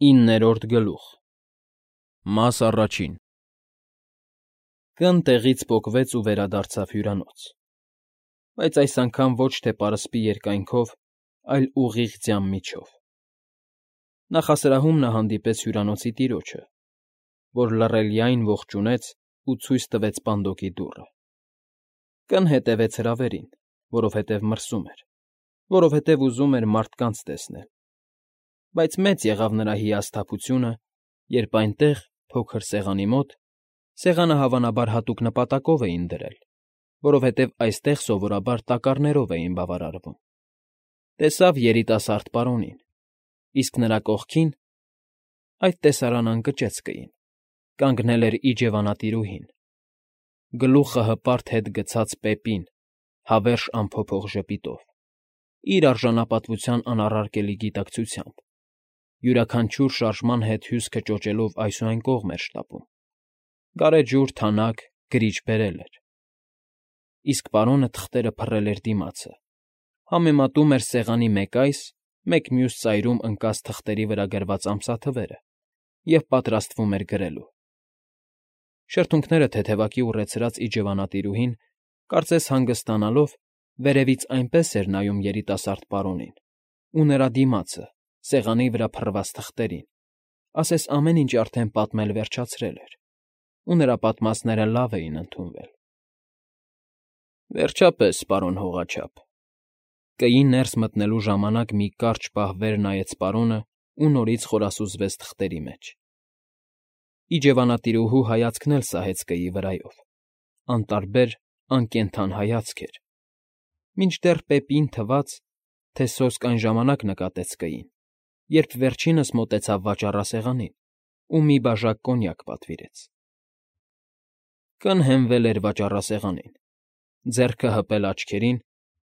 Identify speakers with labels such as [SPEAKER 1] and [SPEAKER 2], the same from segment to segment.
[SPEAKER 1] 9-րդ գլուխ Մաս առաջին Կն տեղից պոկվեց ու վերադարձավ հյուրանոց, բայց այս անգամ ոչ թե պարսպի երկայնքով, այլ ուղիղ ձյան միջով. նախասրահում նա հանդիպեց հյուրանոցի տիրոջը, որ լռելիայն ողջունեց ու ցույց տվեց պանդոկի դուռը. Կն հետևեց հրավերին, որովհետև մրսում էր, որովհետև ուզում էր մարդկանց տեսնել, բայց մեծ եղավ նրա հիասթափությունը, երբ այնտեղ, փոքր սեղանի մոտ, սեղանը հավանաբար հատուկ նպատակով էին դրել, որովհետև այստեղ սովորաբար տակառներով էին բավարարվում, տեսավ երիտասարդ պարոնին, իսկ նրա կողքին, այդ տեսարան ընկճեցկային, կանգնել էր իջևանատիրուհին, գլուխը հպարտ հետ գցած պեպին, հավերժ անփոփոխ ժպիտով, իր արժանապատվության անառարկելի գիտակցությամբ, յուրաքանչյուր շարժման հետ հյուսքը ճոճելով այս ու այն կողմ էր շտապում, գարեջուր, թանաք, գրիչ բերել էր, իսկ պարոնը թղթերը փռել էր դիմացը, համեմատում էր սեղանի մեկ այս, մեկ մյուս ծայրում ընկած թղթերի վրա գրված ամսաթվերը և պատրաստվում էր գրելու. Շրթունքները թեթևակի ուռեցրած իջևանատիրուհին, կարծես հանգստանալով, վերևից այնպես էր նայում երիտասարդ պարոնին ու նրա դիմացը, սեղանի վրա փռված թղթերին, ասես ամեն ինչ արդեն պատմել վերջացրել էր, ու նրա պատմածները լավ էին ընդունվել։ Վերջապես, պարոն հողաչափ, կեի ներս մտնելու ժամանակ մի կարճ պահ վեր նայեց պարոնը ու նորից խորասուզվեց թղթերի մեջ։ Իջևանատիրուհու հայացքն էլ սահեց կեի վրայով, անտարբեր, անկենդան հայացք էր, մինչդեռ պեպին թվաց, թե սոսկ այն ժամանակ նկատեց կեին, երբ վերջինս մոտեցավ վաճառասեղանին ու մի բաժակ կոնյակ պատվիրեց։ Կն հենվել էր վաճառասեղանին, ձեռքը հպել աչքերին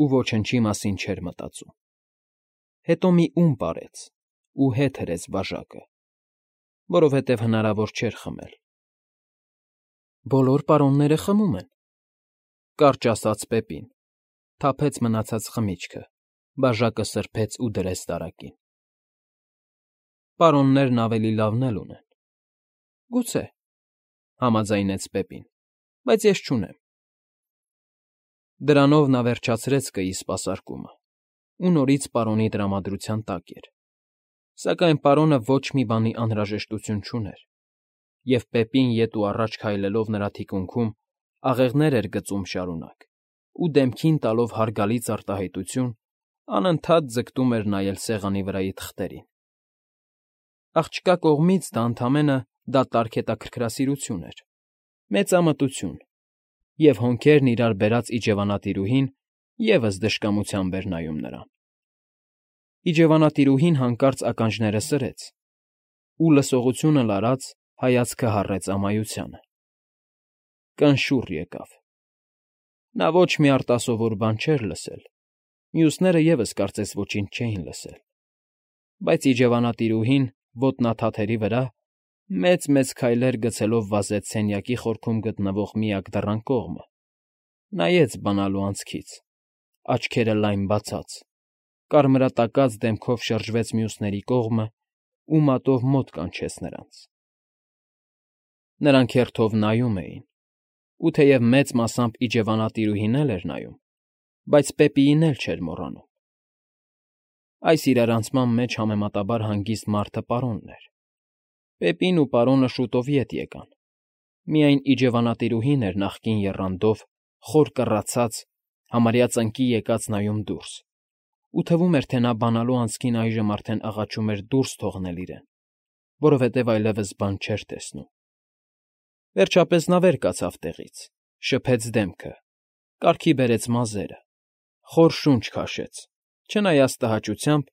[SPEAKER 1] ու ոչնչի մասին չէր մտածում։ Հետո մի պարեց ու հետ հրեց բաժակը, որովհետև հնարավոր չէր խմել։ Բոլոր պարոնները խմում են, կարճ ասաց պեպին, թափեց մնացած խմիչքը, բաժակը սրբեց ու դրեց տարակին։ Պարոններն ավելի լավն էլ ունեն։ Գուցե, համաձայնեց պեպին, բայց ես չունեմ։ Դրանով նա վերջացրեց կեի սպասարկումը ու նորից պարոնի տրամադրության տակ էր, սակայն պարոնը ոչ մի բանի անհրաժեշտություն չուներ, և պեպին ետ ու առաջ քայլելով նրա թիկունքում աղեղներ էր գծում շարունակ ու դեմքին տալով հարգալից արտահայտություն, անընդհատ ձգտում էր նայել սեղանի վրայի թղթերին։ Աղջկա կողմից դա ընդամենը դատարկ հետաքրքրասիրություն էր, մեծամտություն, և հոնքերն իրար բերած իջևանատիրուհին ևս դժկամությամբ էր նայում նրան։ Իջևանատիրուհին հանկարծ ականջները սրեց ու, լսողությունը լարած, հայացքը հառեց ամայությանը։ Կն շուռ եկավ։ Նա ոչ մի արտասովոր բան չէր լսել, մյուսները ևս կարծես ոչինչ չէին լսել, բայց իջևանատիրուհին ոտնաթաթերի վրա մեծ-մեծ քայլեր գցելով վազեց սենյակի խորքում գտնվող միակ դռան կողմը, նայեց բանալու անցքից, աչքերը լայն բացած, կարմրատակած դեմքով շրջվեց մյուսների կողմը ու մատով մոտ կանչեց նրանց։ Նրանք հերթով նայում էին, ու թեև մեծ մասամբ իջևանատիրուհին էլ էր նայում, բայց պեպիին էլ չէր մոռանում։ Այս իրարանցման մեջ համեմատաբար հանգիստ մարդը պարոնն էր։ Պեպին ու պարոնը շուտով ետ եկան, միայն իջևանատիրուհին էր նախկին եռանդով, խոր կռացած, համարյա ծնկի եկած նայում դուրս, ու թվում էր, թե նա բանալու անցքին այժմ արդեն աղաչում էր դուրս թողնել իրեն, որովհետև այլևս բան չէր տեսնում։ Վերջապես նա վեր կացավ տեղից, շփեց դեմքը, կարգի բերեց մազերը, խոր շունչ քաշեց, չնայած տհաճությամբ,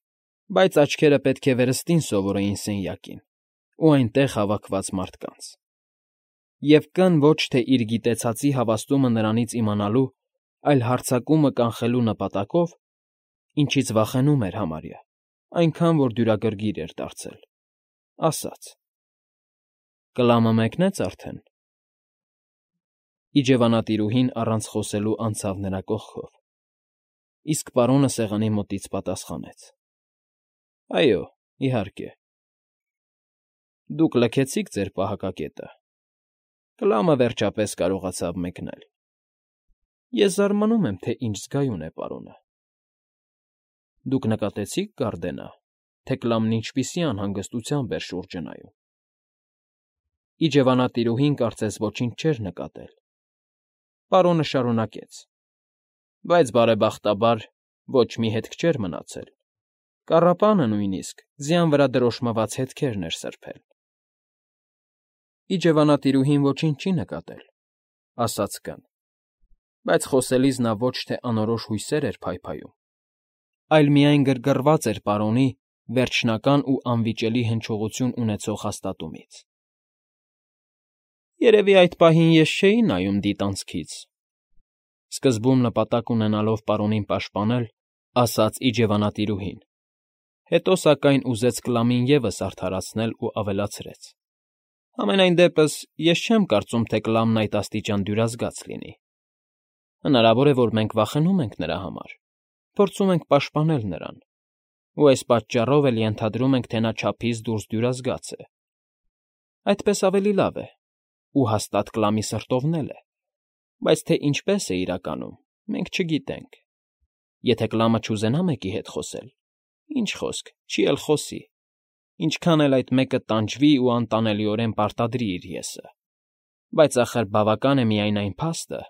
[SPEAKER 1] բայց աչքերը պետք է վերստին սովորեին սենյակին ու այնտեղ հավաքված մարդկանց։ Եվ Կն ոչ թե իր գիտեցածի հավաստումը նրանից իմանալու, այլ հարձակումը կանխելու նպատակով, ինչից վախենում էր համարյա, այնքան որ դյուրագրգիռ էր դարձել, ասաց. «Կլամը մեկնեց արդեն»։ Իջևանատիրուհին առանց խոսելու անցավ նրա կողքով, իսկ պարոնը սեղանի մոտից պատասխանեց. «Այո, իհարկե»։ Դուք լքեցիք ձեր պահակակետը։ Կլամը վերջապես կարողացավ մեկնել։ Ես զարմանում եմ, թե ինչ զգայուն է պարոնը։ Դուք նկատեցի՞ք, Գարդենա, թե Կլամն ինչպիսի անհանգստությամբ էր շուրջը նայում։ Իջևանատիրուհին կարծես ոչինչ չէր նկատել։ Պարոնը շարունակեց. Բայց բարեբախտաբար ոչ մի հետք չէր մնացել։ Կառապանը նույնիսկ ձյան վրա դրոշմված հետքերն էր սրբել։ Իջևանատիրուհին ոչինչ չի նկատել, ասաց կն, բայց խոսելիս նա ոչ թե անորոշ հույսեր էր փայփայում, այլ միայն գրգռված էր պարոնի վերջնական ու անվիճելի հնչողություն ունեցող հաստատումից։ Երևի այդ պահին ես չէի նայում դիտանցքից, սկզբում նպատակ ունենալով պարոնին պաշտպանել, ասաց իջևանատիրուհին, հետո սակայն ուզեց Կլամին ևս արդարացնել ու ավելացրեց. Համենայն դեպս ես չեմ կարծում, թե Կլամն այդ աստիճան դյուրազգաց լինի։ Հնարավոր է, որ մենք վախենում ենք նրա համար, փորձում ենք պաշտպանել նրան, ու այս պատճառով էլ ենթադրում ենք, թե նա չափից դուրս դյուրազգաց է։ Այդպես ավելի լավ է, ու հաստատ Կլամի սրտովն է, բայց թե ինչպես է իրականում, մենք չգիտենք։ Եթե Կլամը չուզենա մեկի հետ խոսել, ինչ խոսք, չի էլ խոսի, ինչքան էլ այդ մեկը տանջվի ու անտանելիորեն պարտադրի իր եսը, բայց ախր բավական է միայն այն փաստը,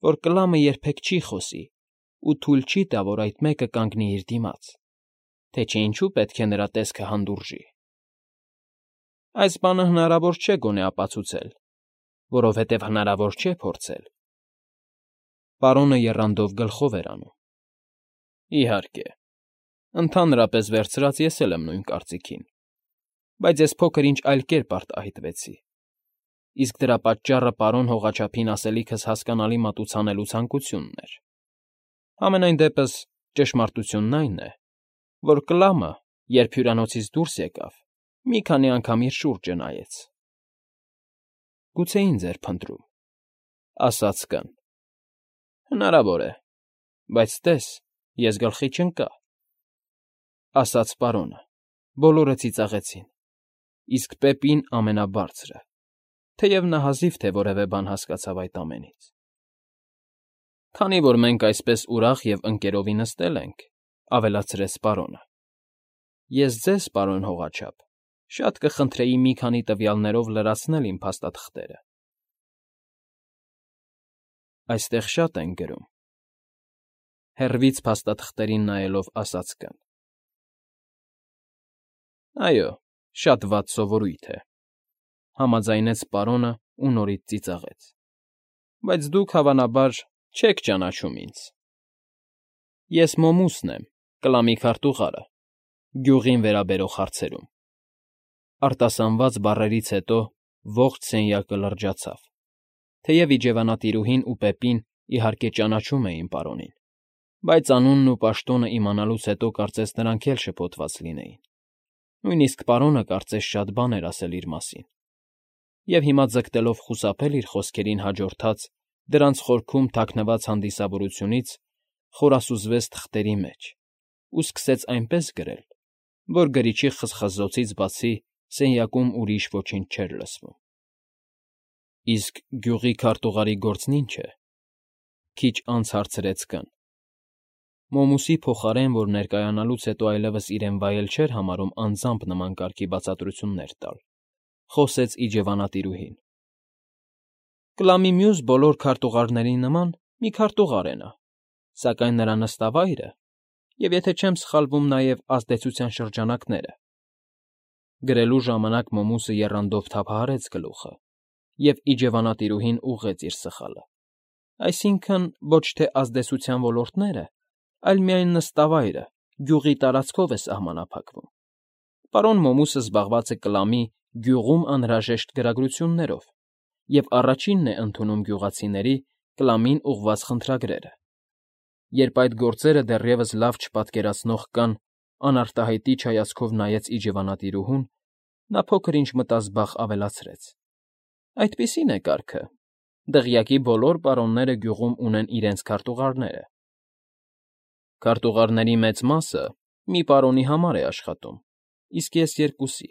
[SPEAKER 1] որ Կլամը երբեք չի խոսի ու թույլ չի տա, որ այդ մեկը կանգնի իր դիմաց, թե չէ ինչու պետք է նրա տեսքը հանդուրժի։ Այս բանը հնարավոր չէ գոնե ապացուցել, որովհետև հնարավոր չէ փորձել։ Պարոնը եռանդով գլխով էր անում։ Իհարկե, ընդհանրապես վերցրած ես էլ եմ նույն կարծիքին, բայց ես փոքր-ինչ այլ կերպ արտահայտվեցի։ Իսկ դրա պատճառը պարոն հողաչափին ասելիքս հասկանալի մատուցանելու ցանկությունն էր։ Համենայն դեպս ճշմարտությունն այն է, որ Կլամը, երբ հյուրանոցից դուրս եկավ, մի քանի անգամ իր շուրջը նայեց։ Գուցե ինձ էր փնտրում, ասաց կն։ Հնարավոր է, բայց տես, ես գլխի չընկա, ասաց պարոնը, բոլորը ծիծաղեցին, իսկ Պեպին ամենաբարձրը, թեև նա հազիվ թե որևէ բան հասկացավ այդ ամենից։ Քանի որ մենք այսպես ուրախ և ընկերովի նստել ենք, ավելացրեց պարոնը, ես ձեզ, պարոն հողաչափ, շատ կխնդրեի մի քանի տվյալներով լրացնել իմ փաստաթղթերը։ Այստեղ շատ են գրում, հեռվից փաստաթղթերին նայելով ասաց կն։ Այո, շատ վատ սովորույթ է, համաձայնեց պարոնը ու նորից ծիծաղեց, բայց դուք, հավանաբար, չեք ճանաչում ինձ։ Ես Մոմուսն եմ, Կլամի քարտուղարը, գյուղին վերաբերող հարցերում։ Արտասանված բառերից հետո ողջ սենյակը լրջացավ, թեև իջևանատիրուհին ու Պեպին իհարկե ճանաչում էին պարոնին, բայց անունն ու պաշտոնը իմանալուց հետո կարծես նրանք էլ շփոթված լինեին։ Նույնիսկ պարոնը կարծես շատ բան էր ասել իր մասին, և հիմա ձգտելով խուսափել իր խոսքերին հաջորդած դրանց խորքում թաքնված հանդիսավորությունից, խորասուզվեց թղթերի մեջ ու սկսեց այնպես գրել, որ գրիչի խզխզոցից բացի սենյակում ուրիշ ոչինչ չէր լսվում։ Իսկ գյուղի քարտուղարի գործն ի՞նչ է, քիչ անց հարցրեց կն։ Մոմուսի փոխարեն, որ ներկայանալուց հետո այլևս իրեն վայել չէր համարում անձամբ նման կարգի բացատրություններ տալ, խոսեց իջևանատիրուհին։ Կլամի մյուս բոլոր քարտուղարների նման մի քարտուղար է նա, սակայն նրա նստավայրը, և եթե չեմ սխալվում, նաև ազդեցության շրջանակները։ Գրելու ժամանակ Մոմուսը եռանդով թափահարեց գլուխը, և իջևանատիրուհին ուղղեց իր սխալը։ Այսինքն, ոչ թե ազդեցության ոլորտները, այլ միայն նստավայրը գյուղի տարածքով է սահմանափակվում։ Պարոն Մոմուսը զբաղված է Կլամի գյուղում անհրաժեշտ գրագրություններով և առաջինն է ընդունում գյուղացիների Կլամին ուղղված խնդրագրերը։ Երբ այդ գործերը դեռևս լավ չպատկերացնող կան անարտահայտիչ հայացքով նայեց իջևանատիրուհուն, նա փոքր-ինչ մտազբաղ ավելացրեց. Այդպիսին է կարգը։ Դղյակի բոլոր պարոնները գյուղում ունեն իրենց քարտուղարները։ Քարտուղարների մեծ մասը մի պարոնի համար է աշխատում, իսկ ես երկուսի՝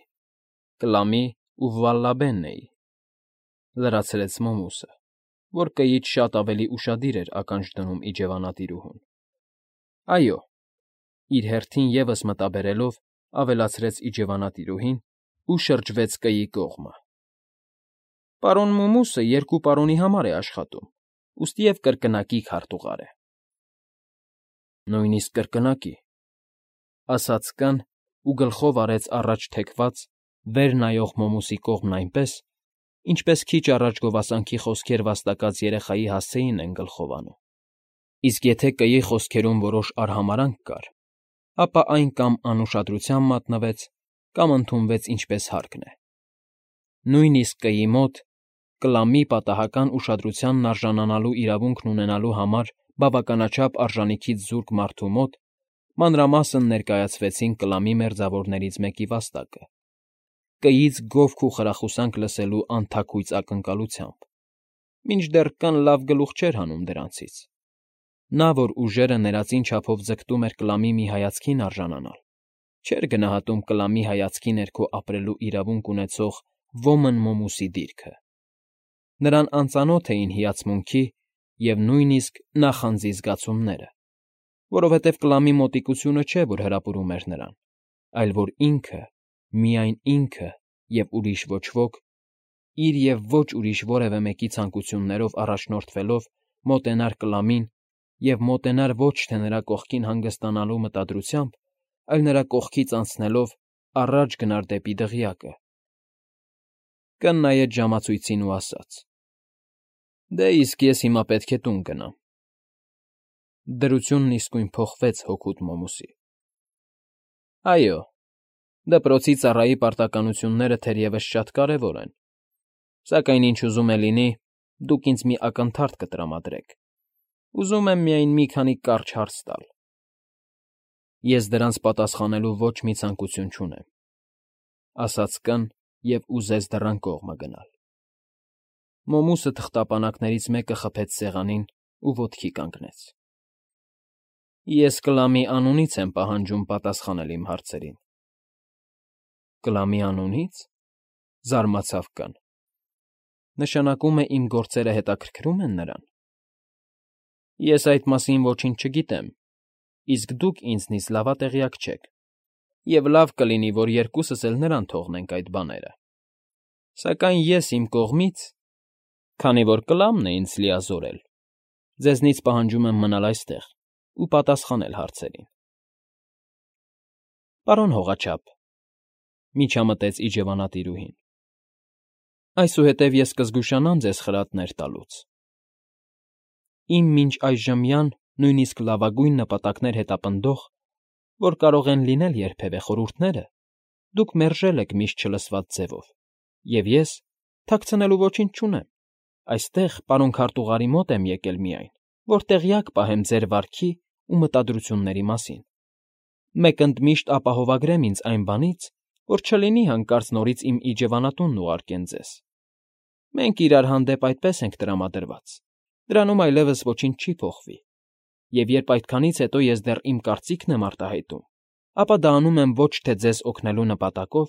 [SPEAKER 1] Կլամի ու Վալլաբենն էի,֊ լրացրեց Մոմուսը, որ կեից շատ ավելի ուշադիր էր ականջ դնում իջևանատիրուհուն։ Այո,֊ իր հերթին ևս մտաբերելով, ավելացրեց իջևանատիրուհին ու շրջվեց կեի կողմը։ Պարոն Մումուսը 2 պարոնի համար է աշխատում, ուստիև կրկնակի քարտուղար է։ Նույնիսկ կրկնակի,֊ ասաց կն ու գլխով արեց առաջ թեքված, վեր նայող Մոմուսի կողմն այնպես, ինչպես քիչ առաջ գովասանքի խոսքեր վաստակած երեխայի հասցեին են գլխով անում։ Իսկ եթե կեի խոսքերում որոշ արհամարհանք կար, ապա այն կամ անուշադրության մատնվեց, կամ ընդունվեց ինչպես հարկն է։ Նույնիսկ կեի մոտ Կլամի պատահական ուշադրությանն արժանանալու իրավունքն ունենալու համար բավականաչափ արժանիքից զուրկ մարդու մոտ մանրամասն ներկայացվեցին Կլամի մերձավորներից մեկի վաստակը, կեից գովք ու խրախուսանք լսելու անթաքույց ակնկալությամբ, մինչդեռ կն լավ գլուխ չէր հանում դրանցից։ Նա, որ ուժերը ներածին չափով ձգտում էր Կլամի մի հայացքին արժանանալ, չէր գնահատում Կլամի հայացքի ներքո ապրելու իրավունք ունեցող ոմն Մոմուսի դիրքը։ Նրան անծանոթ էին հիացմունքի և նույնիսկ նախանձի զգացումները, որովհետև Կլամի մոտիկությունը չէ, որ հրապուրում էր նրան, այլ որ ինքը, միայն ինքը և ուրիշ ոչ ոք, իր և ոչ ուրիշ որևէ մեկի ցանկություններով առաջնորդվելով մոտենար Կլամին և մոտենար ոչ թե նրա կողքին հանգստանալու մտադրությամբ, այլ նրա կողքից անցնելով առաջ գնար դեպի դղյակը։ Կն նայեց ժամացույցին ու ասաց. «Դե իսկ ես հիմա պետք է տուն գնամ»։ Դրությունն իսկույն փոխվեց հօգուտ Մոմուսի։ Այո, դպրոցի ծառայի պարտականությունները թերևս շատ կարևոր են, սակայն ինչ ուզում է լինի, դուք ինձ մի ակնթարթ կտրամադրեք, ուզում եմ միայն մի քանի կարճ հարց տալ։ Ես դրանց պատասխանելու ոչ մի ցանկություն չունեմ,֊ ասաց կն և ուզեց դռան կողմը գնալ։ Մոմուսը թղթապանակներից մեկը խփեց սեղանին ու ոտքի կանգնեց։ Ես Կլամի անունից եմ պահանջում պատասխանել իմ հարցերին։ Կլամի անունի՞ց,֊ զարմացավ կն։ Նշանակում է իմ գործերը հետաքրքրում են նրան։ Ես այդ մասին ոչինչ չգիտեմ, իսկ դուք ինձնից լավատեղյակ չեք, և լավ կլինի, որ երկուսս էլ նրան թողնենք այդ բաները։ Սակայն ես իմ կողմից, քանի որ Կլամն է ինձ լիազորել, ձեզնից պահանջում եմ մնալ այստեղ ու պատասխանել հարցերին։ Պարոն հողաչափ,֊ միջամտեց իջևանատիրուհին,֊ այսուհետև ես կզգուշանամ ձեզ խրատներ տալուց։ Իմ մինչ այժմյան նույնիսկ լավագույն նպատակներ հետապնդող, որ կարող են լինել երբևէ խորհուրդները, դուք մերժել եք միշտ չլսված ձևով, և ես թաքցնելու ոչինչ չունեմ, այստեղ, պարոն քարտուղարի մոտ եմ եկել միայն, որ տեղյակ պահեմ ձեր վարքի ու մտադրությունների մասին։ Մեկ ընդմիշտ ապահովագրեմ ինձ այն բանից, որ չլինի հանկարծ նորից իմ իջևանատունն ուղարկեն ձեզ։ Մենք իրար հանդեպ այդպես ենք տրամադրված, դրանում այլևս ոչինչ չի փոխվի, և երբ այդքանից հետո ես դեռ իմ կարծիքն եմ արտահայտում, ապա դա անում եմ ոչ թե ձեզ օգնելու նպատակով,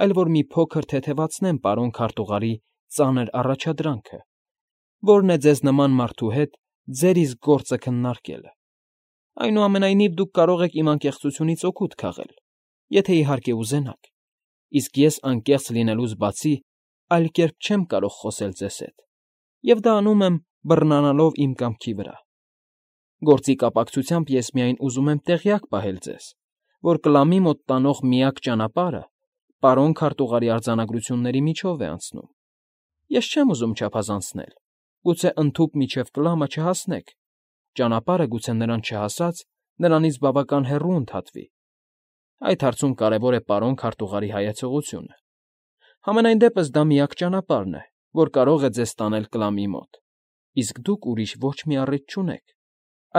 [SPEAKER 1] այլ որ մի փոքր թեթևացնեմ պարոն քարտուղարի ծանր առաջադրանքը, որն է ձեզ նման մարդու հետ ձեր իսկ գործը քննարկելը։ Այնուամենայնիվ դուք կարող եք իմ անկեղծությունից օգուտ քաղել, եթե իհարկե ուզենաք, իսկ ես անկեղծ լինելուց բացի այլ կերպ չեմ կարող խոսել ձեզ հետ, և դա անում եմ բռնանալով իմ կամքի վրա։ Գործի կապակցությամբ ես միայն ուզում եմ տեղյակ պահել ձեզ, որ Կլամի մոտ տանող միակ ճանապարհը պարոն քարտուղարի արձանագրությունների միջով է անցնում։ Ես չեմ ուզում չափազանցնել, գուցե ընդհուպ մինչև Կլամը չհասնեք, ճանապարհը գուցե նրան չհասած նրանից բավական հեռու ընդհատվի։ Այդ հարցում կարևոր է պարոն քարտուղարի հայեցողությունը։ Համենայն դեպս դա միակ ճանապարհն է, որ կարող է ձեզ տանել Կլամի մոտ, իսկ դուք ուրիշ ոչ մի առիթ չունեք,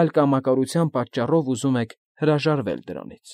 [SPEAKER 1] այլ կամակորության պատճառով ուզում եք հրաժարվել դրանից։